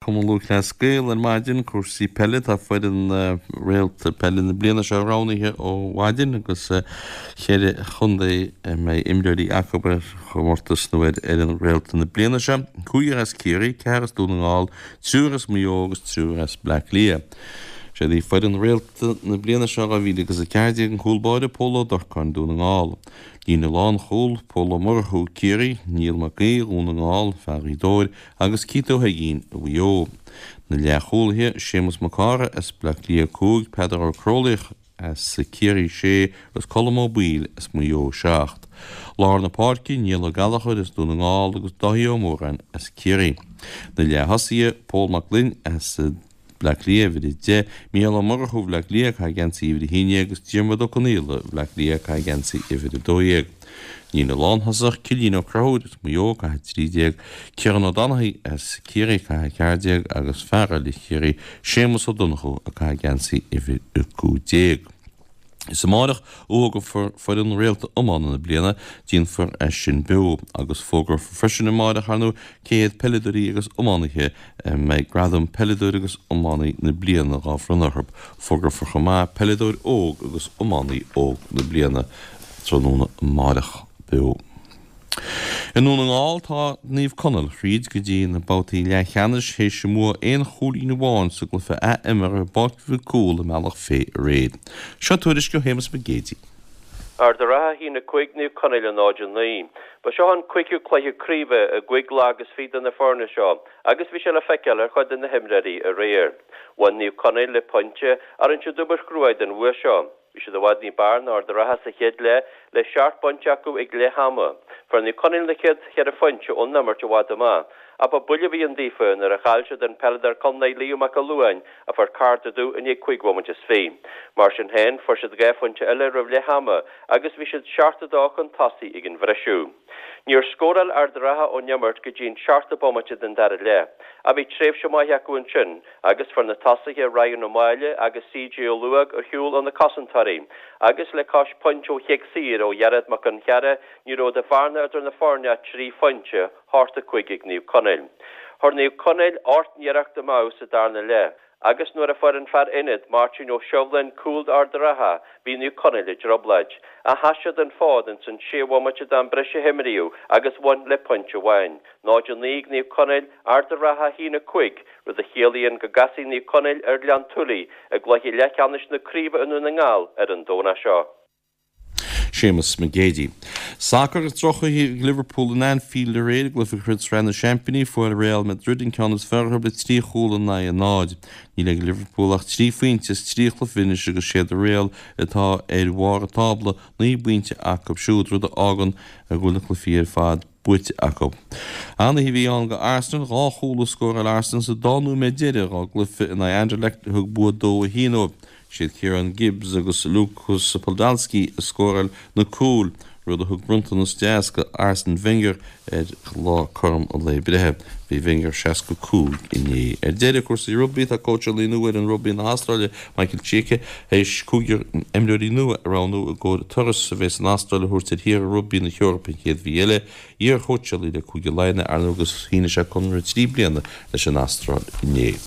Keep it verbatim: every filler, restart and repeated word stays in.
Cumann Lúthchleas Gael ar maidin, cúrsaí peile, tá foireann réalta peile na bliana seo roghnaithe ó mhaidin agus ceithre chontae a mbeidh imreoirí acu ar chomórtas nó ar fhoireann réalta na bliana seo, cúigear as Ciarraí, ceathrar as Dún na nGall, triúr as Maigh Eo agus triúr as Bleá Cliath. Siad í foireann réalta na bliana seo dhá mhíle agus a ceathair déag an cúl báire Pól Ó Durcáin, Dún na nGall. Líne lánchúil, Pól Ó Murchú, Ciarraí, Niall Mac Aoidh, Dhún na nGall, fear Ghaoth Dobhair, agus Keith Ó hUiginn, Mhaigh Eo. Na leathchúlaithe, Séamus Mac Cárthaigh as Bleá Cliath a cúig, Peadar Ó Crólaíoch as Ciarraí sé agus Colm Ó Baoill as Maigh Eo seacht. Lár na páirce, Niall Ó Gallchóir as Dún na nGall agus Dáithí Ó Móráin as Ciarraí. Na leath-thosaithe, Pól Mac Gloinn as Bleá Cliath, uimhir a deich, Mícheál Ó Murchú, Bhleá Cliath, ag caitheamh geansaí uimhir a haon déag agus Diarmuid Ó Conaola, Bhleá Cliath, ag caitheamh geansaí uimhir a dó dhéag. Líne lánthosach, Cillian Ó Conchúir as Maigh Eo, ag caitheamh a trí déag, Ciarán Ó Donnachaidh as Ciarraí, ag caitheamh a ceathair déag agus fear eile Chiarraí, Séamus Ó Donnchú, ag caitheamh geansaí uimhir a cúig déag. Is amárach a fhógrófar foireann réalta iomána na bliana, déanfar é sin beo, agus fógrófar freisin amárach, ar ndóigh, cé hiad peileadóirí agus iománaithe a mbeidh gradam Peileadóir agus Iománaí na Bliana dhá bhronnadh orthu. Fógrófar chomh maith Peileadóir Óg agus Iománaí Óg na Bliana tráthnóna amárach beo. I nDún na nGall tá Naomh Conaill thríd go dtí na babhtaí leathcheannais théis a mbua aon chúilín amháin sa gcluiche ath-imeartha i bPáirc Mhic Cumhaill i mBealach Féich aréir. Seo tuairisc ó Shéamus Mac Géidigh. Ard an Rátha a haon a cúig Naomh Conaill a náid a naoi. Ba seo an cúigiú cluiche craoibhe i gcúig lá agus fiche do na foirne seo agus bhí sé le feiceáil ar chuid de na himreoirí aréir. Bhain Naomh Conaill le pointe ach rinne siad obair chruaidh den bhua seo. Bhí siad i bhfad ní b'fhearr ná Ard an Rátha sa chéad leath le seacht bpointe acu ag leath ama. Fuair Naomh Conaill na chéad cheithre phointe ón imirt i bhfad amach. Ach ba buille a bhí ann daofa nuair a chaill siad an peileadóir contae Liam Mac Fhionnghail a fuair cárta dubh i ndiaidh cúig bhomaite is fiche. Mar sin féin, fuair siad dhá phointe eile roimh leath ama agus bhí siad seacht a dó chun tosaigh ag an bhriseadh. Níor scóráil Ard an Rátha ón imirt go dtí an seachtú bomaite den dara leath. Ach bhí tréimhse maith acu ansin agus fuair na tosaithe Ryan Ó Máille agus C J Ó Luaig ar shiúl ó na cosantóirí agus le cois pointe ó chic saor ó Ghearóid Mac Fhionnchearra ní raibh de bhearna idir na foirne ach trí phointe, hocht a cúig ag Naomh Conaill. Chuir Naomh Conaill ocht n-iarracht amú sa darna leath agus nuair a fuair an fear ionaid Máirtín Ó Sibhleáin cúl d'Ard an Rátha bhí Naomh Conaill i dtrioblóid. Ach sheas siad an fód ins an sé bhomaite d'am breise a himríodh agus bhain le pointe amháin. náid a naoi ag Naomh Conaill, Ard an Rátha a haon a cúig, rud a chiallaíonn go gcasfaidh Naomh Conaill ar Ghleann tSúilí i gcluiche leathcheannais na craoibhe i nDún na nGall ar an Domhnach seo. Séamus Mac Géidigh. Sacar agus drochoíche ag Liverpool in Anfield aréir i gcluiche Chraobh Sraith na Seaimpíní. Fuair Real Madrid an ceann is fearr orthu le trí chúl in aghaidh a náid. Níl ag Liverpool ach trí phointe as trí chluiche anois agus siad Real atá ar bharr an tábla, naoi bpointe acu siúd, rud a fhágann go bhfuil na cluichí ar fad buaite acu. An-oíche a bhí ann do Arsenal, dhá chúl a scóráil Arsenal sa dá nóiméad deiridh dhá gcluiche in aghaidh Anderlecht a thug bua dó a haon dóibh. Siad Kieran Gibbs agus Lukas Podolski a scóráil na cúil, rud a thug bronntanas deas do Arsene Wenger ar lá cothrom a lae breithe. Bhí Wenger seasca cúig inné. Ar deireadh, cúrsaí rugbaí, tá cóitseálaí nua fhoireann rugbaí na hAstráile, Michael Cheika, théis cúigear imreoirí nua a roghnú i gcomhair turas a bheas san Astráil a thabhairt ar thíortha rugbaí na hEorpa an chéad mhí eile. Iar-chóitseálaí le Cúige Laighean é, ar ndóigh, agus shínigh sé conradh trí bliana leis an Astráil inné.